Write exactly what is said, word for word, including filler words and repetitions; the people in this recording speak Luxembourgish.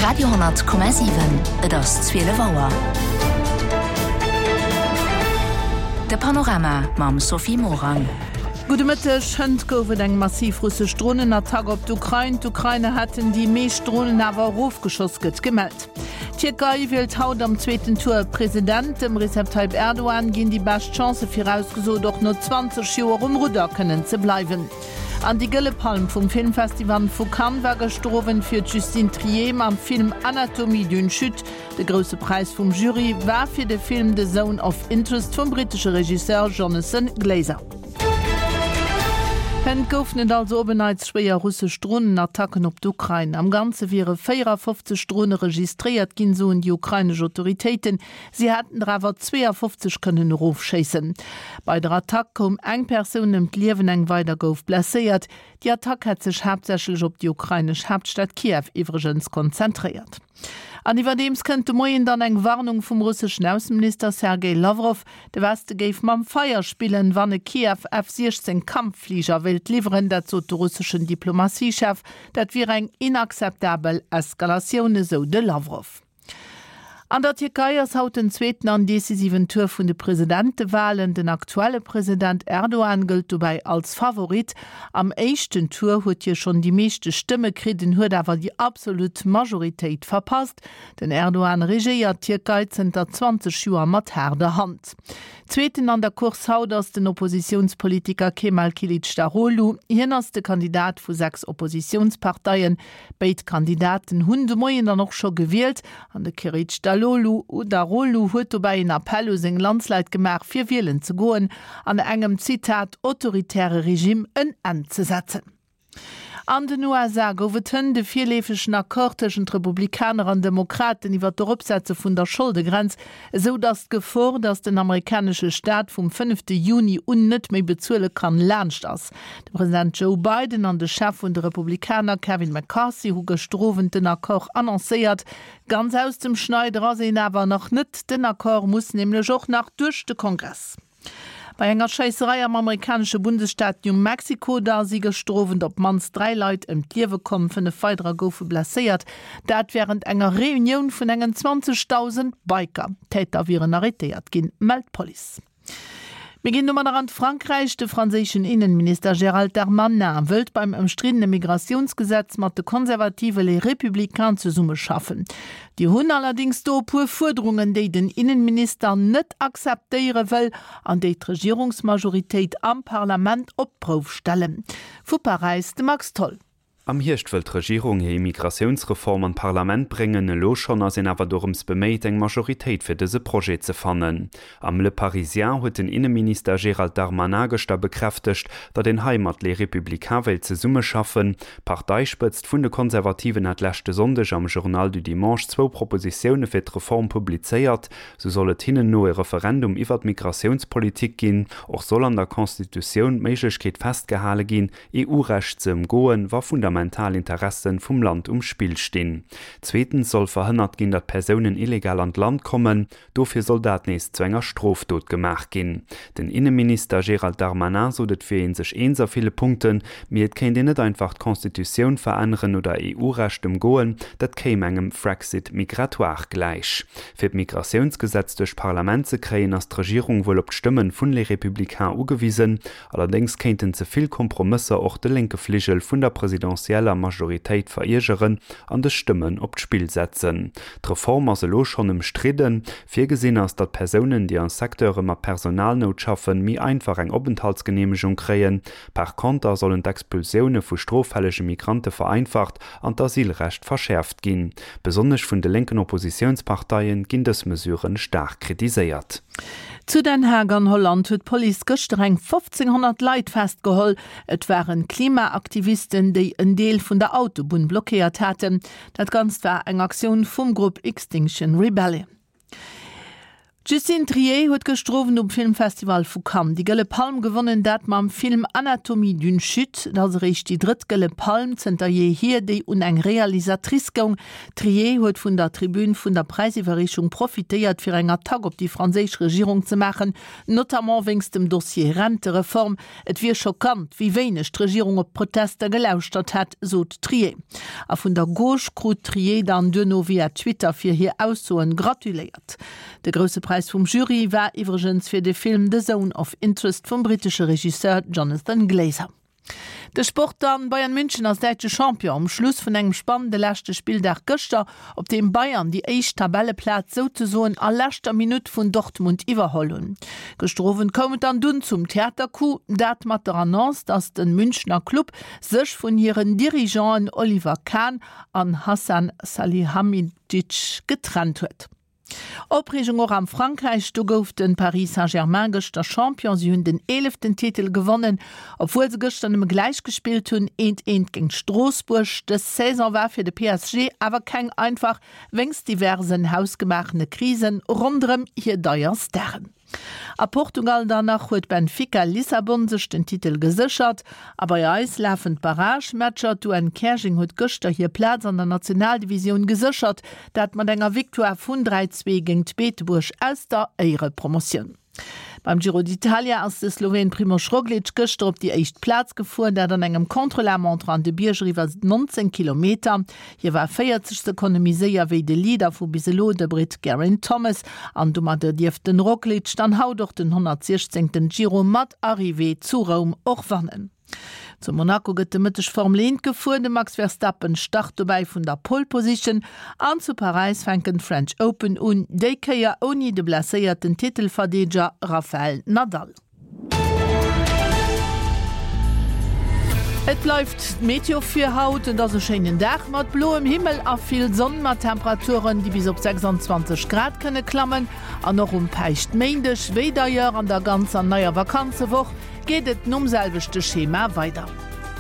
Radio honnert Komma siwen, Et ass zwielef Auer. De Panorama mam Sophie Morang. Gudde Mëtteg. Hënt gouf et eng massiv russesch Dronenattack op d'Ukrain. D'Ukrainer hätten déi meescht Dronen awer erofgeschoss, gëtt gemellt. D'Tierkei wielt haut am zweeten Tour e President. Dem Recep Tayyip Erdogan ginn déi bescht Chancë virausgesot, och no zwanzeg Joer um Rudder kënnen ze bleiwen. An déi Gëlle Palm vum Filmfestival vu Cannes war gëschter Owend fir d'Justine Triet mam Film Anatomie d'une chute. De grousse Präis vum Jury war fir de Film The Zone of Interest vum brittesche Regisseur Jonathan Glazer. Hënt goufen et also op en Neits schwéier russesch Dronenattacken op d'Ukrain. Am Ganze wiere véierafofzeg Drone registréiert ginn, soen déi ukrainesch Autoritéiten. Si hätten der awer zweeafofzeg kënnen erofschéissen. Bei der Attack koum eng Persoun ëm d'Liewen, eng weider gouf blesséiert. Déi Attack hätt sech haaptsächlech op déi ukrainesch Haaptstad Kiew iwwregens konzentréiert. An iwwerdeems kënnt de Moien dann eng Warnung vum russeschen Ausseminister Sergej Lawrow, de Weste géif mam Feier spillen, wann e Kiew F siechzéng Kampffliger wéilt liwweren. Dat sot de russeschen Diplomatiechef. Dat wier eng inakzeptabel Eskalatioun, esou de Lawrow. An der Tierkei ass haut den zweeten an decisiven Tour vun de Presidentewalen. Den aktuelle President Erdogan gëllt dobäi als Favorit. Am éischten Tour huet hie schonn déi meeschte Stëmme kritt, en huet awer déi absolut Majoritéit verpasst. Den Erdogan regéiert d'Tierkei zënter zwanzeg Joer mat haarder Hand. Zweeten an der Course haut ass den Oppositiounspolitiker Kemal Kilicdaroglu. Hien ass de Kandidat vu sechs Oppositiounsparteien. Béid Kandidaten hunn de Moien dann och scho gewielt an de Kilicdaroglu huet dobäi en Appell u seng Landsleit gemaach, fir wielen ze goen an engem, Zitat, autoritäre Regime en Enn ze setzen. An den U S A gouf et hënt e virleefegen Accord tëschent Republikaner an Demokraten iwwer d'Eropsetze vun der Scholdegrenz, esou datt d'Gefor, datt den amerikanesche Staat vum fënnefte Juni un net méi bezuele kann, laanscht ass. De President Joe Biden an de Chef vun de Republikaner Kevin McCarthy hu gëschter Owend den Accord annoncéiert. Ganz aus dem Schneider ass een awer nach net. Den Accord muss nämlech och nach duerch de Kongress. Bei enger Schéisserei am amerikanesche Bundesstaat New Mexico da si gëschter Owend op d'mannst dräi Leit ëm d'Liewe komm, fënnef weiderer goufe blesséiert. Dat wärend enger Reunioun vun engen zwanzegdausend Biker. D'Täter wieren arrêtéiert ginn, mellt d'Police. Mir ginn domadder an d'Frankräich. De franséischen Innenminister Gérald Darmanin wëllt beim ëmstriddene Migratiounsgesetz mat de konservative Les Républicains zesummeschaffen. Déi hunn allerdéngs do e puer Fuerderungen, déi den Innenminister net akzeptéiere wëll an déi d'Regierungsmajoritéit am Parlament op d'Prouf stellen. Vu Paräis de Max Tholl. Am Hierscht wëll d'Regierung hir Immigratiounsreform an d'Parlament bréngen. Elo schonn ass een awer dorëms beméit, eng Majoritéit fir dëse Projet ze fannen. Am Le Parisien huet den Inneminister Gérald Darmanin gëschter bekräftegt, datt een hei mat Les Républicains wéilt zesummeschaffen. D'Parteispëtzt vun de Konservativen hat leschte Sonndeg am Journal du Dimanche zwou Propositioune fir d'Reform publizéiert. Sou soll et hinnen no e Referendum iwwer d'Migratiounspolitik ginn. Och soll an der Constitutioun d'Méiglechkeet festgehale ginn, E U-Recht ze ëmgoen, wa fundamental Interessen vum Land um Spill stinn. Zweetens soll verhënnert ginn, datt Persounen illegal an d'Land kommen. Dofir soll dat nees zu enger Strofdot gemaach ginn. Den Innenminister Gérald Darmanin sot et wier een sech eens a ville Punkten, mee et kéint een net einfach d'Constitutioun veränneren oder E U-Recht ëmgoen, dat kéim engem Frexit migratoire gläich. Fir d'Migratiounsgesetz duerch d'Parlament ze kréien, ass d'Regierung wuel op d'Stëmmen vun Les Républicains ugewisen. Allerdéngs kéinten ze vill Kompromësser och de lénke Fligel vun der presidentieller Majoritéit veriergeren an de Stëmmen op d'Spill setzen. D'Reform ass elo schonn ëmstridden. Virgesinn ass, datt Persounen, déi an Secteure mat Personalnout schaffen, méi einfach eng Openthaltsgeneemegung kréien. Par konter sollen d'Expulsioune vu stroffällege Migrante vereinfacht an d'Asylrecht verschäerft ginn. Besonnesch vun de lénken Oppositiounsparteien ginn dës Mesuren staark kritiséiert. Zu Den Haag an Holland huet d'Police gëschter eng fofzénghonnert Leit festgeholl. Et waren Klimaaktivisten, déi en Deel vun der Autobunn blockéiert haten. Dat Ganzt war eng Aktioun vum Grupp Extinction Rebellion. D'Justine Triet huet gëschter Owend um Filmfestival vu Cannes déi Gëlle Palm gewonnen, dat mam Film Anatomie d'une chute. Et ass eréischt déi drëtt Gëlle Palm zënter jeehier, déi un eng Realisatrice goung. D'Triet huet vun der Tribün vun der Präisiwwerreechung profitéiert, fir eng Attack op déi franséisch Regierung ze maachen, notamment wéinst dem Dossier Rentereform. Et wier schockant, wéi wéineg d'Regierung op d'Protester gelauschtert hätt, sot d'Triet. A vun der Gauche krut d'Triet dann duerno via Twitter fir hir Aussoen gratuléiert. De grousse Präis vum Jury war iwwregens fir de Film The Zone of Interest vum brittesche Regisseur Jonathan Glazer. De Sport dann, Bayern München ass däitsche Champion um Schluss vun engem spannende leschte Spilldag gëschter, op deem Bayern déi éischt Tabelleplaz souzesoen a leschter Minutt vun Dortmund iwwerholl hunn. Gëschter Owend koum et dann dunn zum Theatercoup, dat mat der Annonce, dass de Münchner Club sech vun hiren Dirigeanten Oliver Kahn an Hasan Salihamidzic getrennt huet. Opreegung och am Frankräich, do gouf de Paris Saint-Germain gëschter Champion. Si hunn den eeleften Titel gewonnen, obwuel se gëschter nëmme gläich gespillt hunn, eent eent géint Stroossbuerg. Dës Saison war fir de P S G awer keng einfach, wéinst diversen hausgemaachene Krisen ronderëm hir deier Staren. A Portugal dann nach huet Benfica Lissabon sech den Titel geséchert. A bei eis lafen d'Barragematcher. D'U N Käerjeng huet gëschter hir Plaz an der Nationaldivisioun geséchert, dat mat enger Victoire vun dräi, zwee géint Beetebuerg aus der Éierepromotioun. Beim Giro d'Italia ass de Sloween Primož Roglič gëschter op déi éischt Plaz gefuer, dat an engem Contre-la-montre an de Bierger iwwer nonzéng Kilometer. Hie war véierzeg Sekonne méi séier wéi de Leader vu bis elo, de Britt Geraint Thomas. An domadder dierft den Roglič dann haut och den honnertsiechzéngten Giro mat Arrivée zu Roum och wannen. Zu Monaco gëtt de Mëtteg Formel eent gefuer, de Max Verstappen start dobäi vun der Pole Position an zu Paräis fänken d'French Open un, déi Kéier ouni de blesséierten Titelverdeedeger Rafael Nadal. Et bleift d'Meteo fir haut, et ass e schéinen Dag mat bloem Himmel a vill Sonn, mat Temperaturen, déi bis op sechsandzwanzeg Grad kënne klammen. An och um Päischtméindeg, wéi d'ailleurs an der ganzer neier Vakanzewoch, geet et nom selwechte Schema weider.